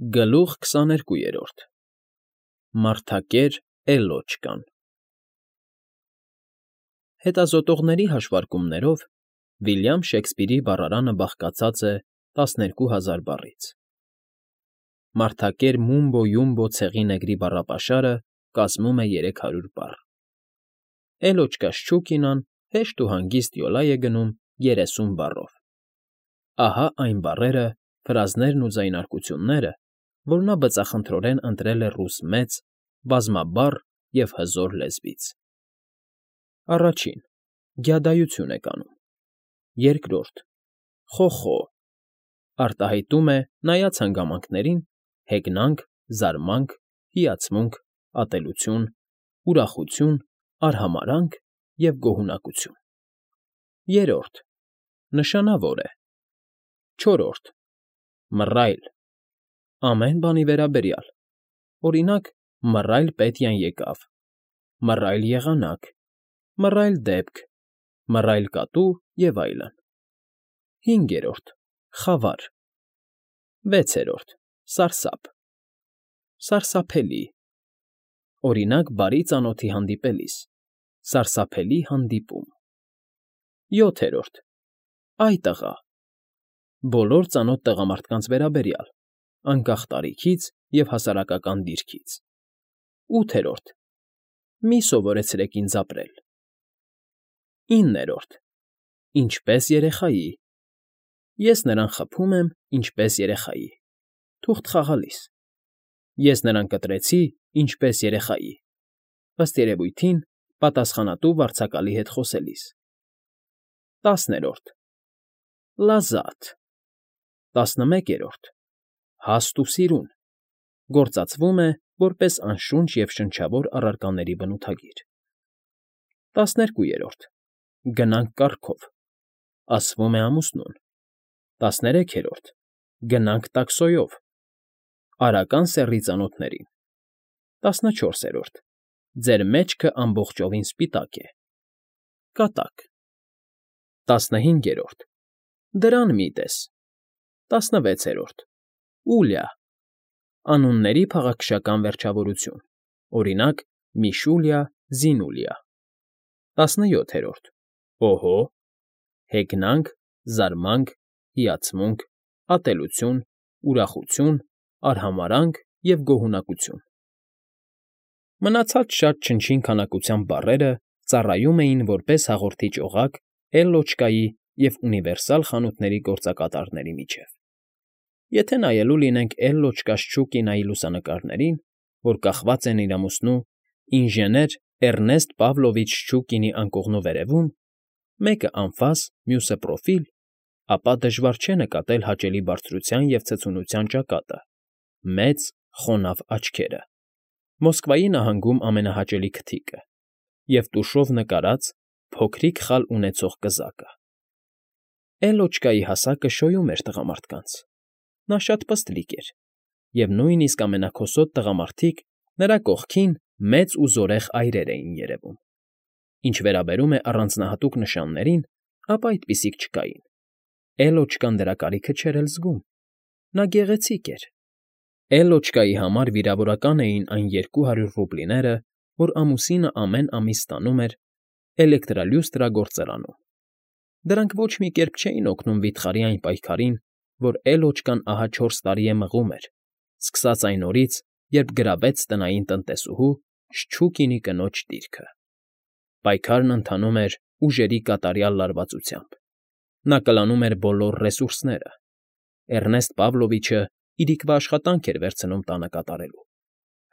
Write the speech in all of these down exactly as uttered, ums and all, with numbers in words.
Գլուխ քսաներկուերորդ Մարդակեր Էլլոչկան Հետազոտողների հաշվարկումներով Վիլյամ Շեքսպիրի բառարանը բաղկացած է տասներկու հազար բառից։ Մարդակեր Մումբո Յումբո ցեղի նեգրի բառապաշարը կազմում է երեք հարյուր բառ։ Էլլոչկա Շչուկինան հեշտ ու հանգիստ յոլա է գնում երեսուն բառով։ Ահա այն բառերը, ֆրազներն ու ձայնարկությունները, որ նա բծախնդրորեն ընտրել է ռուս մեծ, բազմաբառ և հզոր լեզվից։ Առաջին. Գյադայություն է կանում։ Երկրորդ. Խոխո արտահայտում է, նայած հանգամանքներին, հեգնանք, զարմանք, հիացմունք, ատելություն, ուրախություն, արհամարհանք և գոհունակություն։ Երրորդ. Նշանավոր է։ Չորրորդ. Մռայլ ամեն բանի վերաբերյալ, օրինակ, մռայլ Պետյան եկավ, մռայլ եղանակ, մռայլ դեպք, մռայլ կատու և այլն։ Հինգերորդ. Խավար Վեցերորդ. Սարսափ սարսափելի, օրինակ, բարի ծանոթի հանդիպելիս, սարսափելի հանդիպում։ Յոթերորդ. Այ տղա բոլոր ծանոթ տղամարդկանց վերաբերյալ, անկախ տարիքից և հասարակական դիրքից։ Ութերորդ. Մի սովորեցրեք ինձ ապրել։ Իններորդ. Ինչպես երեխայի, ես նրան խփում եմ, ինչպես երեխայի, թուղթ խաղալիս, ես նրան կտրեցի, ինչպես երեխայի, ըստ երևույթին, պատասխանատու վարձակալի հետ խոսելիս։ Տասներորդ. Լազատ Տասնմեկերորդ. Հաստ ու սիրուն, գործածվում է որպես անշունչ և շնչավոր առարկաների բնութագիր։ Տասներկուերորդ. Գնանք կառքով, ասվում է ամուսնուն։ Տասներեքերորդ. Գնանք տաքսոյով, արական սեռի ծանոթներին։ Տասնչորսերորդ. Ձեր մեջքը ամբողջովին սպիտակ է։ Կատակ։ Տասնհինգերորդ. Դրան մի տես։ Տասնվեցերորդ. Ուլյա անունների փաղաքշական վերջավորություն, օրինակ, Միշուլյա, Զինուլյա։ Տասնյոթերորդ. Օհո հեգնանք, զարմանք, հիացմունք, ատելություն, ուրախություն, արհամարհանք և գոհունակություն։ Մնացած շատ չնչին քանակությամբ բառերը ծառայում էին որպես հաղորդիչ օղակ Էլլոչկայի և ունիվերսալ խանութների գործակատարների միջև։ Եթե նայելու լինենք Էլլոչկա Շչուկինայի լուսանկարներին, որ կախված են իր ամուսնու ինժեներ Էռնեստ Պավլովիչ Շչուկինի անկողնու վերևում, մեկը անֆաս, մյուսը պրոֆիլ, ապա դժվար չէ նկատել հաճելի բարձրության և ցցունության ճակատը, մեծ, խոնավ աչքերը, Մոսկվայի նահանգում ամենահաճելի քթիկը և տուշով նկարած, փոքրիկ խալ ունեցող կզակը։ Էլլոչկայի հասակը շոյում էր տղամարդկանց, նա շատ պստլիկ էր, և նույնիսկ ամենաքոսոտ տղամարդիկ նրա կողքին մեծ ու զորեղ այրեր էին երևում։ Ինչ վերաբերում է առանձնահատուկ նշաններին, ապա այդպիսիք չկային։ Էլլոչկան դրա կարիքը չէր էլ զգում։ Նա գեղեցիկ էր։ Էլլոչկայի համար վիրավորական էին այն երկու հարյուր ռուբլիները, որ ամուսինը ամեն ամիս ստանում էր էլեկտրալյուստրագործարանում։ Դրանք ոչ մի կերպ չէին օգնում վիթխարի այն պայքարին, որ Էլլոչկան ահա չորս տարի է մղում էր, սկսած այն օրից, երբ գրավեց տնային տնտեսուհու Շչուկինի կնոջ դիրքը։ Պայքարն ընթանում էր ուժերի կատարյալ լարվածությամբ։ Նա կլանում էր բոլոր ռեսուրսները։ Էռնեստ Պավլովիչը իրիկվա աշխատանք էր վերցնում տանը կատարելու։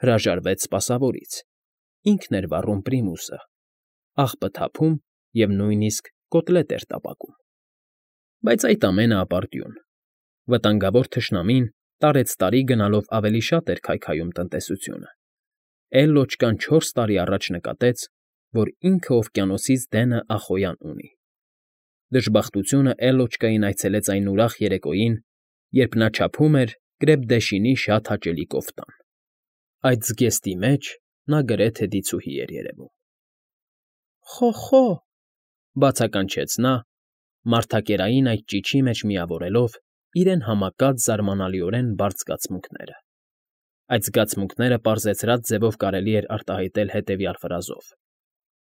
Հրաժարվեց սպասավորից, ինքն էր վառում պրիմուսը, աղբը թափում և նույնիսկ կոտլետ էր տապակում։ Բայց այդ ամենը ապարդյուն։ Վտանգավոր թշնամին տարեցտարի գնալով ավելի շատ էր քայքայում տնտեսությունը։ Էլլոչկան չորս տարի առաջ նկատեց, որ ինքը օվկիանոսից դենը Ախոյան ունի։ Դժբախտությունը Էլլոչկային այցելեց այն ուրախ երեկոյին, երբ նա չափում էր Կրեպդեշինի շատ հաճելի կոֆտան։ Այդ զգեստի մեջ նա գրեթե դիցուհի էր երևում։ Խո՜խո՜, բացականչեց նա, մարդակերային այդ ճիչի մեջ միավորելով իրեն համակած զարմանալիորեն բարդ զգացմունքները։ Այդ զգացմունքները պարզեցրած ձևով կարելի էր արտահայտել հետևյալ ֆրազով.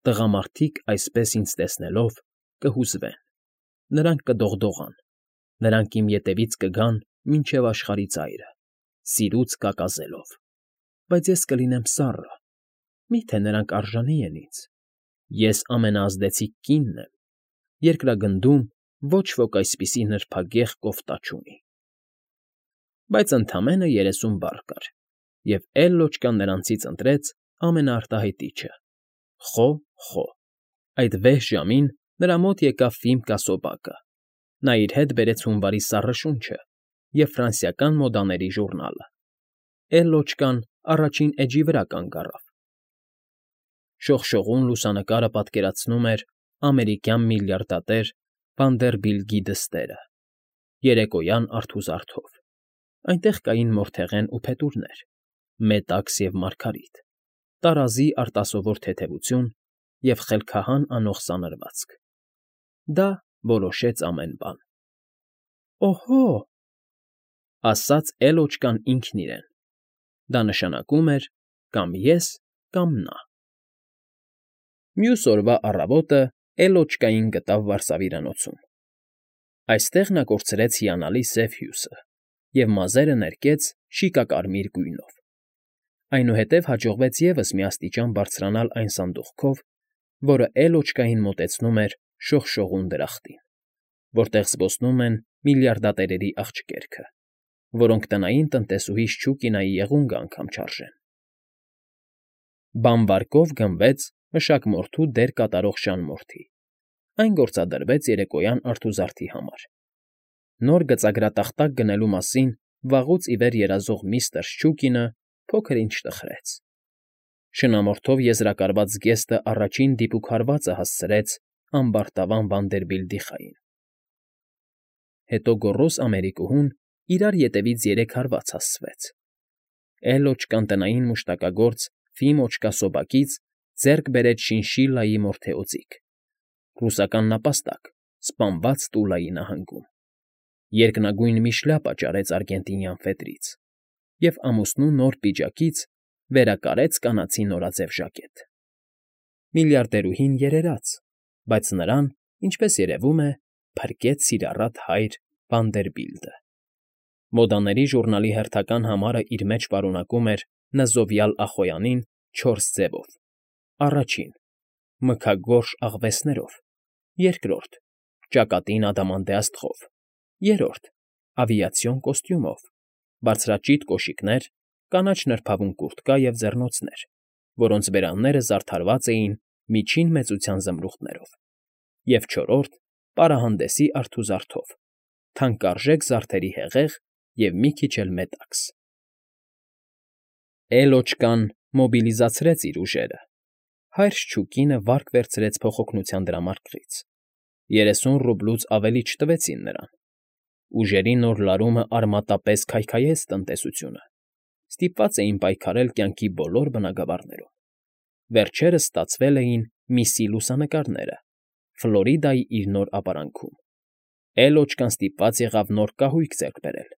«Տղամարդիկ այսպես ինձ տեսնելով կհուզվեն, նրանք կդողդողան, նրանք իմ ետևից կգան մինչև աշխարհի ծայրը, սիրուց կակազելով, բայց ես կլինեմ սառը, մի՞թե նրանք արժանի են ինձ, ես ամենաազդեցիկ կինն եմ, երկրագնդում ոչ ոք այսպիսի նրբագեղ կոֆտա չունի»։ Բայց ընդամենը երեսուն բառ կար, և Էլլոչկան նրանցից ընտրեց ամենաարտահայտիչը՝ «խո, խո»։ Այդ վեհ ժամին նրա մոտ եկավ Ֆիլմկա Սոբակը, նա իր հետ բերեց հունվարի սառը շունչը և ֆրանսիական մոդաների ժուռնալը։ Էլլոչկան առաջին էջի վրա կանգ առավ։ Շողշողուն լուսանկարը պատկերացնում էր ամերիկյան միլիարդատեր Վանդերբիլտի դստերը՝ երեկոյան արթուզարթով։ Այնտեղ կային մորթեղեն ու փետուրներ, մետաքս և մարգարիտ, տարազի արտասովոր թեթևություն և խելքահան անող սանրվածք։ Դա որոշեց ամեն բան։ «Օհո՜», ասաց Էլլոչկան ինքն իրեն, դա նշանակում էր կամ ես, կամ նա։ Մյուս օրվա առավոտը Էլլոչկային գտավ վարսավիրանոցում։ Այստեղ նա կորցրեց հիանալի սև հյուսը և մազերը ներկեց շիկակարմիր գույնով։ Այնուհետև հաջողվեց ևս մի աստիճան բարձրանալ այն սանդուղքով, որը Էլլոչկային մոտեցնում էր շողշողուն դրախտին, որտեղ զբոսնում են միլիարդատերերի աղջկերքը, որոնք տնային տնտեսուհի Շչուկինայի եղունգը անգամ չարժեն։ Բամբարկով գնվեց մշակմորթու դեր կատարող Ժան֊Մորթի, այն գործադրվեց երեկոյան արթուզարդի համար։ Նոր գծագրատախտակ գնելու մասին վաղուց ի վեր երազող միստր Շչուկինը փոքր֊ինչ տխրեց։ Շնամորթով եզրակացված զգեստը առաջին դիպուկ հարվածը հասցրեց ամբարտավան Վանդերբիլտի խային։ Հետո գոռոզ Ամերիկուհուն իրար ետևից երեք հարված հասցվեց։ Էլլոչկան տնային մուշտակագործ Ֆիմոչկա Սոբակից ձեռք բերեց շինշիլլայի մորթեոձիգ, ռուսական նապաստակ սպանված Տուլայի նահանգում, երկնագույն մի շլյապա ճարեց արգենտինյան ֆետրից և ամուսնու նոր պիջակից վերակարեց կանացի նորաձև ժակետ։ Միլիարդերուհին երերաց, բայց նրան, ինչպես երևում է, փրկեց սիրառատ հայր Վանդերբիլտը։ Մոդաների ժուռնալի հերթական համարը իր մեջ պարունակում էր նզովյալ Ախոյանին չորս ձևով. առաջին՝ մքագորշ աղվեսներով, երկրորդ՝ ճակատին ադամանդե աստղով, երրորդ՝ ավիացիոն կոստյումով, բարձրաճիտ կոշիկներ, կանաչ նրբավուն կուրտկա և ձեռնոցներ, որոնց բերանները զարդարված էին միջին մեծության զմրուխտներով, և չորրորդ՝ պարահանդեսի արթուզարդով, թանկարժեք զարդերի հեղեղ և մի քիչ էլ մետաքս։ Էլլոչկան մոբիլիզացրեց իր ուժերը։ Հայր Շչուկինը վարկ վերցրեց փոխօգնության դրամարկղից։ Երեսուն ռուբլուց ավելի չտվեցին նրան։ Ուժերի նոր լարումը արմատապես քայքայեց տնտեսությունը։ Ստիպված էին պայքարել կյանքի բոլոր բնագավառներում։ Վերջերս ստացվել էին Միսի լուսանկարները, Ֆլորիդայի իր նոր ապարանքում։ Էլլոչկան ստիպված եղավ նոր կահույք ձեռք բերել։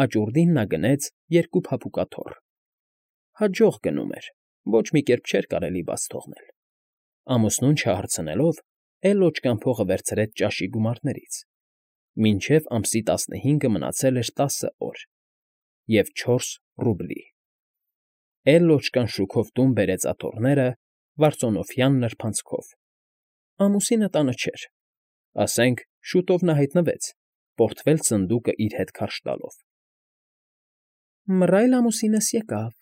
Աճուրդին նա գնեց երկու փափուկաթոռ։ Հաջող գնում էր, ոչ մի կերպ չէր կարելի բաց թողնել։ Ամուսնուն չհարցնելով՝ Էլլոչկան փողը վերցրեց ճաշի գումարներից։ Մինչև ամսի տասնհինգը մնացել էր տասը օր և չորս ռուբլի։ Էլլոչկան շուքով տուն բերեց աթոռները վարծոնովյան նրբանցքով։ Ամուսինը տանը չէր, ասենք շուտով նա հայտնվեց, պորտֆել սնդուկը իր հետ քարշ տալով։ «Մռայլ ամուսինս եկավ»,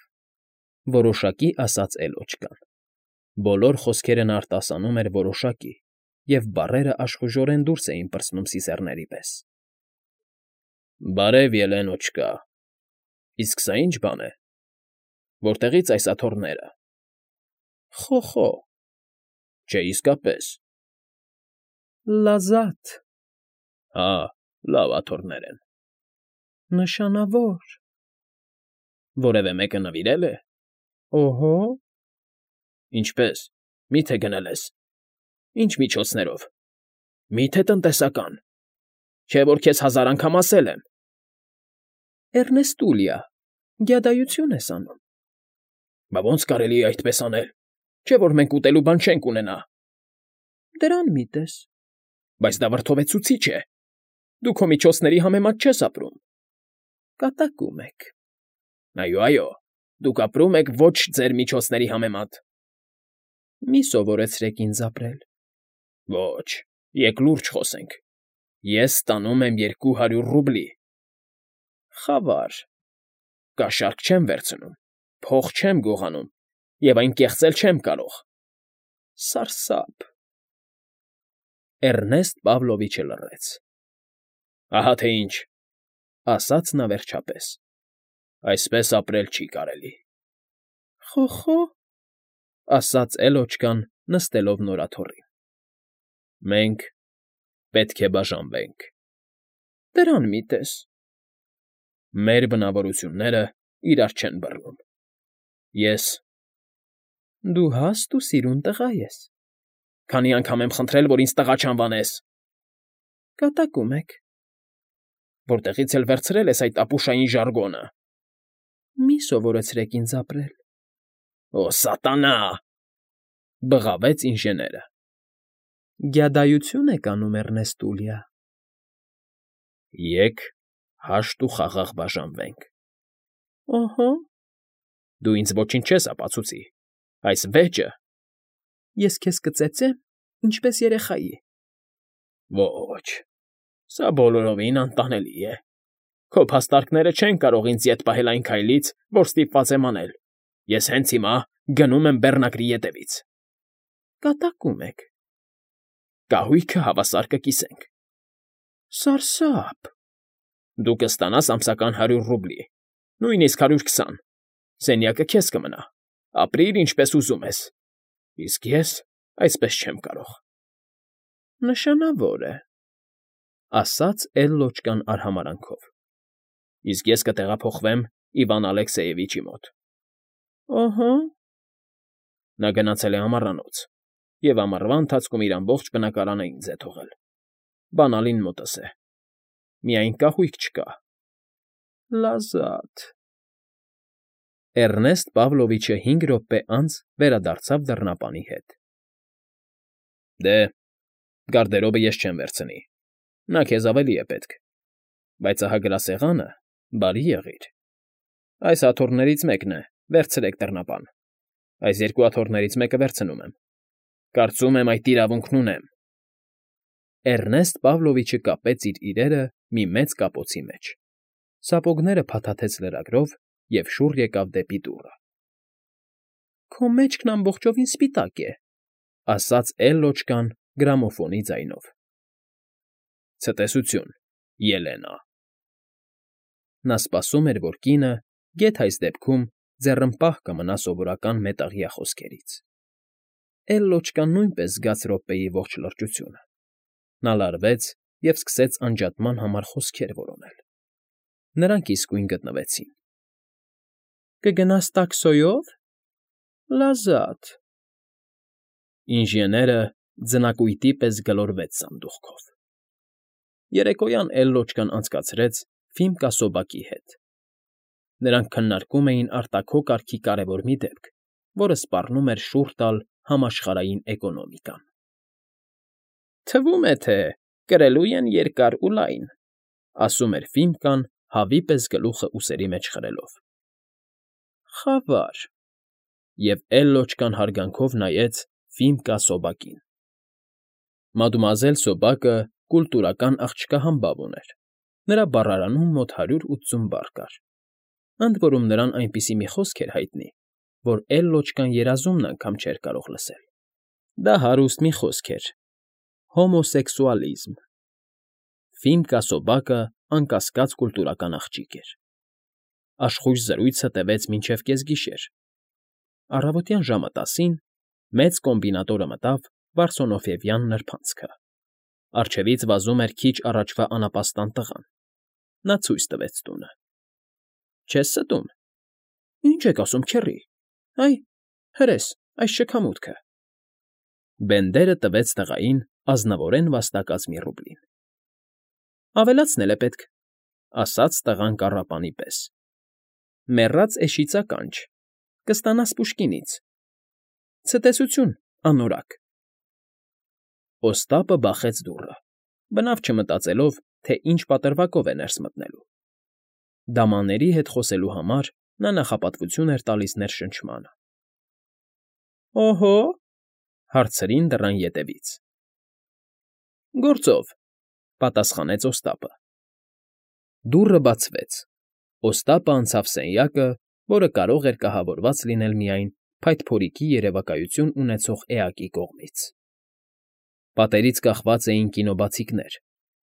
որոշակի ասաց Էլլոչկան։ Բոլոր խոսքերը նա արտասանում էր որոշակի, և բառերը աշխուժորեն դուրս էին պրծնում սիզեռների պես։ «Բարև, Ելենոչկա, իսկ սա ի՞նչ բան է, որտեղի՞ց այս աթոռները»։ «Խո, խո, չէ, իսկապես»։ «Լազատ»։ «Հա, լավ աթոռներ են»։ «Նշանավոր»։ «Որևէ մեկը նվիրել է»։ «Օհո»։ «Ինչպե՞ս, մի՞թե գնել ես։ Ի՞նչ միջոցներով։ Մի՞թե տնտեսական»։ Չէ՞ որ քեզ հազար անգամ ասել եմ։ Էռնեստուլիա, գյադայություն ես անում։ Բա ո՞նց կարելի է այդպես անել, չէ՞ որ մենք ուտելու բան չենք ունենա։ Դրան մի տես։ Բայց դա վրդովեցուցիչ է։ Դու քո միջոցների համեմատ չես ապրում։ Կատակում եք։ Այո, այո, դուք ապրում եք ոչ ձեր միջոցների համեմատ։ Մի սովորեցրեք ինձ ապրել։ Ոչ, եկ լուրջ խոսենք։ Ես ստանում եմ երկու հարյուր ռուբլի։ Խավար։ Կաշառք չեմ վերցնում, փող չեմ գողանում և այն կեղծել չեմ կարող։ Սարսափ։ Էռնեստ Պավլովիչը լռեց։ Ահա թե ինչ, ասաց նա վերջապես, այսպես ապրել չի կարելի։ Խո՜խո, ասաց էլոչկան, նստելով նորաթոռին։ Մենք պետք է բաժանվենք։ Դրան մի տես։ Մեր բնավորությունները իրար չեն բռնում։ Ես… Դու հաստ ու սիրուն տղա ես։ Քանի անգամ եմ խնդրել, որ ինձ տղա չանվանես։ Կատակում եք։ Որտեղից էլ վերցրել ես այդ ապուշային ժարգոնը։ Մի սովորեցրեք ինձ ապրել։ Օ, սատանա… բղավեց ինժեները։ Գյադայություն եք անում, Էռնեստուլիա։ Եկ հաշտ ու խաղաղ բաժանվենք։ Օհո։ Դու ինձ ոչինչ չես ապացուցի, այս վեճը… Ես քեզ կծեծեմ, ինչպես երեխայի։ Ոչ, սա բոլորովին անտանելի է։ Քո փաստարկները չեն կարող ինձ ետ պահել այն քայլից, որ ստիպված եմ անել։ Ես հենց հիմա գնում եմ բեռնակրի ետևից։ Կատակում եք։ Կահույքը հավասար կկիսենք։ Սարսափ։ Դու կստանաս ամսական հարյուր ռուբլի, նույնիսկ հարյուր քսան, սենյակը քեզ կմնա, ապրիր ինչպես ուզում ես, իսկ ես այսպես չեմ կարող։ Նշանավոր է, ասաց Էլլոճկան արհամարհանքով։ Իսկ ես կտեղափոխվեմ Իվան Ալեքսեևիչի մոտ։ Օհո։ Նա գնացել է ամառանոց և ամառվա ընթացքում իր ամբողջ բնակարանը ինձ է թողել։ Բանալին մոտս է։ Միայն կահույք չկա։ Լազատ։ Էռնեստ Պավլովիչը հինգ րոպե անց վերադարձավ դռնապանի հետ։ Դե, գարդերոբը ես չեմ վերցնի, նա քեզ ավելի է պետք, բայց ահա գրասեղանը, բարի եղիր։ Այս աթոռներից մեկն է, վերցրեք դռնապան, այս երկու աթոռներից մեկը վերցնում եմ։ Կարծում եմ այդ իրավունքն ունեմ։ Էռնեստ Պավլովիչը կապեց իր իրերը մի մեծ կապոցի մեջ, սապոգները փաթաթեց լրագրով և շուռ եկավ դեպի դուռը։ Քո մեջքն ամբողջովին սպիտակ է, ասաց Էլլոճկան գրամոֆոնի ձայնով։ Ցտեսություն, Ելենա։ Նա սպասում էր, որ կինը, գեթ այս դեպքում, ձեռնպահ կմնա սովորական մետաղյա խոսքերից։ Էլլոճկան նույնպես զգաց րոպեի ողջ լրջությունը։ Նա լարվեց և սկսեց անջատման համար խոսքեր որոնել։ Նրանք իսկույն գտնվեցին։ Կգնաս տաքսոյո՞վ։ Լազատ։ Ինժեները ձնակույտի պես գլորվեց սանդուղքով։ Երեկոյան Էլլոճկան անցկացրեց Ֆիմկա Սոբակի հետ։ Նրանք քննարկում էին արտաքո կարգի կարևոր մի դեպք, որը սպառնում էր շուռ տալ համաշխարհային էկոնոմիկան։ Թվում է, թե կրելու են երկար ու լայն, ասում էր Ֆիմկան, հավի պես գլուխը ուսերի մեջ խրելով։ Խավար։ Եվ Էլլոճկան հարգանքով նայեց Ֆիմկա Սոբակին։ Մադմուազել Սոբակը կուլտուրական աղջկահամբավ ուներ։ Նրա բառարանում մոտ հարյուր ութսուն բառ կար։ Ընդ որում նրան այնպիսի մի խոսք էր հայտնի, որ Էլլոճկան երազումն անգամ չէր կարող լսել։ Դա հարուստ մի խոսք էր. հոմոսեքսուալիզմ։ Ֆիմկա Սոբակը անկասկած կուլտուրական աղջիկ էր։ Աշխույժ զրույցը տևեց մինչև կեսգիշեր։ Առավոտյան ժամը տասին մեծ կոմբինատորը մտավ Վարսոնոֆիևյան նրբանցքը։ Առջևից վազում էր քիչ առաջվա անապաստան տղան։ Նա ցույց տվեց տունը։ Չես ստում։ Ինչ եք ասում, քեռի, այ, հրես, այս շքամուտքը։ Բենդերը տվեց տղային ազնվորեն վաստակած մի ռուբլին։ Ավելացնել է պետք, ասաց տղան կառապանի պես։ Մեռած էշից ականջ, կստանաս Պուշկինից։ Ցտեսություն, անորակ։ Օստապը բախեց դուռը, բնավ չմտածելով, թե ինչ պատրվակով է ներս մտնելու։ Դամաների հետ խոսելու համար նա նախապատվություն էր տալիս ներշնչմանը։ ֊ Օհո՜, հարցրին դռան ետևից։ ֊ Գործով, պատասխանեց Օստապը։ Դուռը բացվեց։ Օստապը անցավ սենյակը, որը կարող էր կահավորված լինել միայն փայտփորիկի երևակայություն ունեցող էակի կողմից։ Պատերից կախված էին կինոբացիկներ,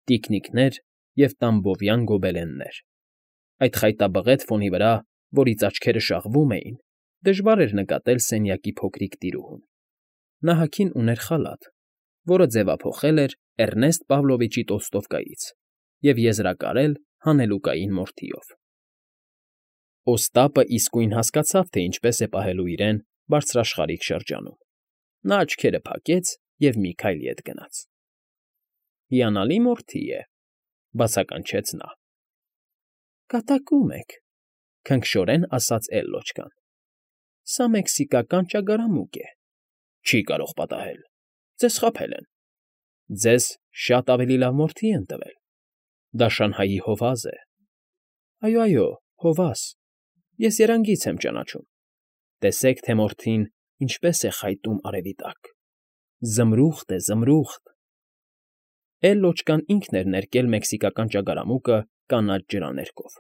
տիկնիկներ և տամբովյան գոբելեններ։ Այդ խայտաբղետ ֆոնի վրա, որից աչքերը շաղվում էին, դժվար էր նկատել սենյակի փոքրիկ տիրուհուն։ Նա հագին ուներ խալաթ, որը ձևափոխել էր Էռնեստ Պավլովիչի Տոլստովկայից և եզրակարել հանելուկային մորթիով։ Օստապը իսկույն հասկացավ, թե ինչպես է պահելու իրեն բարձրաշխարհիկ շրջանում։ Նա աչքերը փակեց և մի քայլ ետ գնաց։ ֊ Հիանալի մորթի է,֊ բացականչեց նա։ ֊ Կատակում եք,֊ քնքշորեն ասաց Էլլոչկան։ ֊ Սա մեքսիկական ճագարամուկ է։ Չի կարող պատահել, ձեզ խաբել են։ Ձեզ շատ ավելի լավ մորթի են տվել։ Դա Շանհայի հովազ է։ Այո, այո, հովազ, ես եռանգից եմ ճանաչում։ Տեսեք, թե մորթին ինչպես է խայտում արևի տակ։ Զմրուխտ է, զմրուխտ… Էլլոչկան ինքն էր ներկել մեքսիկական ճագարամուկը կանաչ ջրաներկով,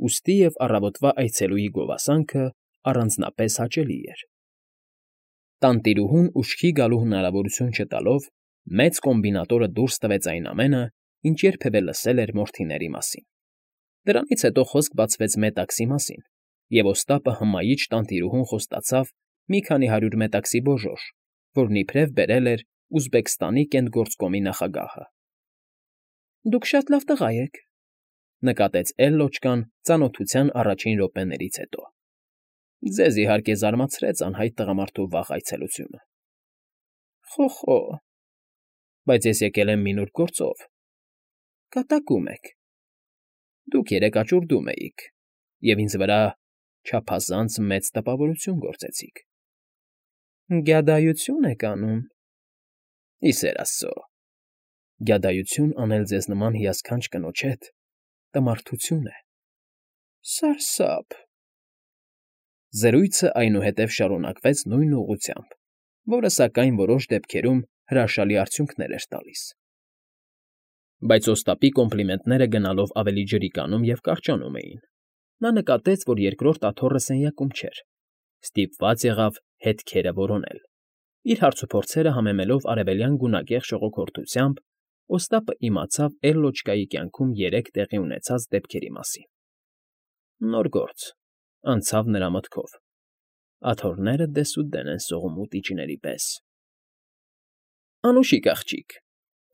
ուստի և առավոտվա այցելուի գովասանքը առանձնապես հաճելի էր։ Տանտիրուհուն ուշքի գալու հնարավորություն չտալով, մեծ կոմբինատորը դուրս տվեց այն ամենը, ինչ երբևէ լսել էր մորթիների մասին։ Դրանից հետո խոսք բացվեց մետաքսի մասին, և Օստապը հմայիչ տանտիրուհուն խոստացավ մի քանի հարյուր մետաքսի բոժոժ, որն իբրև բերել էր Ուզբեկստանի Կենտգործկոմի նախագահը։ ֊ Դուք շատ լավ տղա եք,֊ նկատեց Էլլոչկան ծանոթության առաջին րոպեներից հետո։ Ձեզ, իհարկե, զարմացրեց անհայտ տղամարդու վաղ այցելությունը։ ֊ Խո՜խո՜, բայց ես եկել եմ մի նուրբ գործով։ ֊ Կատակում եք։ Դուք երեկ աճուրդում էիք և ինձ վրա չափազանց մեծ տպավորություն գործեցիք։ ֊ Գյադայություն եք անում։ ֊ Ի սեր աստծո, գյադայություն անել ձեզ նման հիասքանչ կնոջ հետ տմարդություն է։ ֊ Սարսափ… Զրույցը այնուհետև շարունակվեց նույն ուղղությամբ, որը, սակայն, որոշ դեպքերում հրաշալի արդյունքներ էր տալիս։ Բայց Օստապի կոմպլիմենտները գնալով ավելի ջրիկանում և կարճանում էին։ Նա նկատեց, որ երկրորդ աթոռը սենյակում չէր, ստիպված եղավ հետքերը որոնել։ Իր հարցուփորձերը համեմելով արևելյան գունակեղ ժողովրդությամբ, Օստապը իմացավ Էլլոչկայի կյանքում երեք տեղի ունեցած դեպքերի մասին։ Նոր գործ, անցավ նրա մտքով, աթոռները դեսուդեն են սողում ուտիչների պես։ ֊ Անուշիկ աղջիկ,֊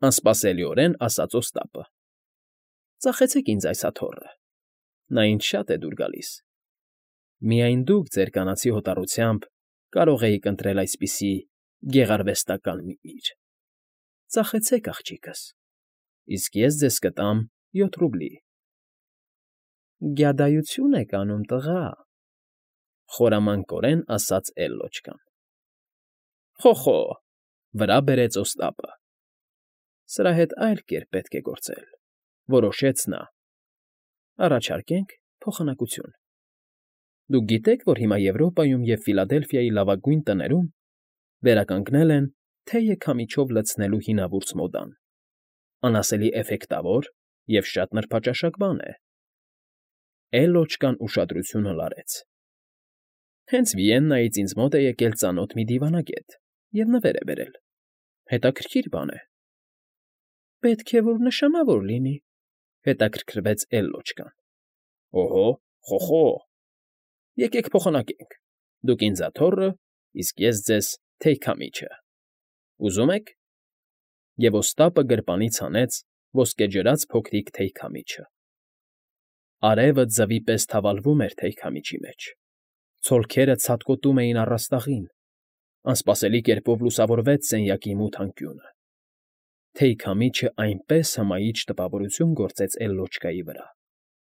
անսպասելիորեն ասաց Օստապը,֊ ծախեցեք ինձ այս աթոռը, նա ինձ շատ է դուր գալիս։ Միայն դուք ձեր կանացի հոտառությամբ կարող էիք ընտրել այսպիսի գեղարվեստական մի իր… Ծախեցեք, աղջիկս, իսկ ես ձեզ կտամ յոթ ռուբլի։ ֊ Գյադայություն եք անում, տղա,֊ խորամանկորեն ասաց Էլլոչկան։ ֊ Խո՜խո՜, վրա բերեց Օստապը։ Սրա հետ այլ կերպ պետք է գործել,֊ որոշեց նա։ Առաջարկենք փոխանակություն։ Դուք գիտե՞ք, որ հիմա Եվրոպայում և Ֆիլադելֆիայի լավագույն տներում վերականգնել են թեյը քամիչով լցնելու հինավուրց մոդան, անասելի էֆեկտավոր և շատ նրբաճաշակ բան է։ Էլլոչկան ուշադրությունը լարեց։ Հենց Վիեննայից ինձ մոտ է եկել ծանոթ մի դիվանագետ և նվեր է բերել։ Հետաքրքիր բան է։ ֊ Պետք է որ նշանավոր լինի,֊ հետաքրքրվեց Էլլոչկան։ ֊ Օհո՜, խո՜խո՜, եկեք փոխանակենք. դուք ինձ աթոռը, իսկ ես ձեզ թեյ֊քամիչը… Ուզո՞ւմ եք։ Եվ Օստապը գրպանից հանեց ոսկեջրած փոքրիկ թեյ֊քամիչը։ Արևը ձվի պես թավալվում էր թեյ֊քամիչի մեջ, ցոլքերը ցատկոտում էին առաստաղին, անսպասելի կերպով լուսավորվեց սենյակի մութ անկյունը։ Թեյքամիջը այնպես հմայիչ տպավորություն գործեց Էլլոճկայի վրա,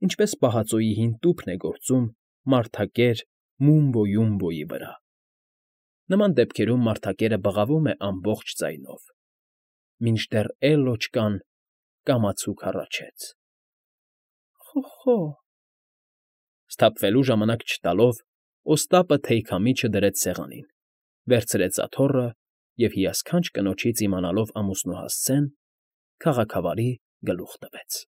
ինչպես պահածոյի հին տուփն է գործում մարդակեր Մումբո֊Յումբոյի վրա. նման դեպքերում մարդակերը բղավում է ամբողջ ձայնով, մինչդեռ Էլլոճկան կամացուկ հառաչեց. «Խո՜խո՜»։ Սթափվելու ժամանակ չտալով՝ Օստապը թեյքամիջը դրեց սեղանին, վերցրեց աթոռը և, հիասքանչ կնոջից իմանալով ամուսնու հասցեն, քաղաքավարի գլուխ տվեց։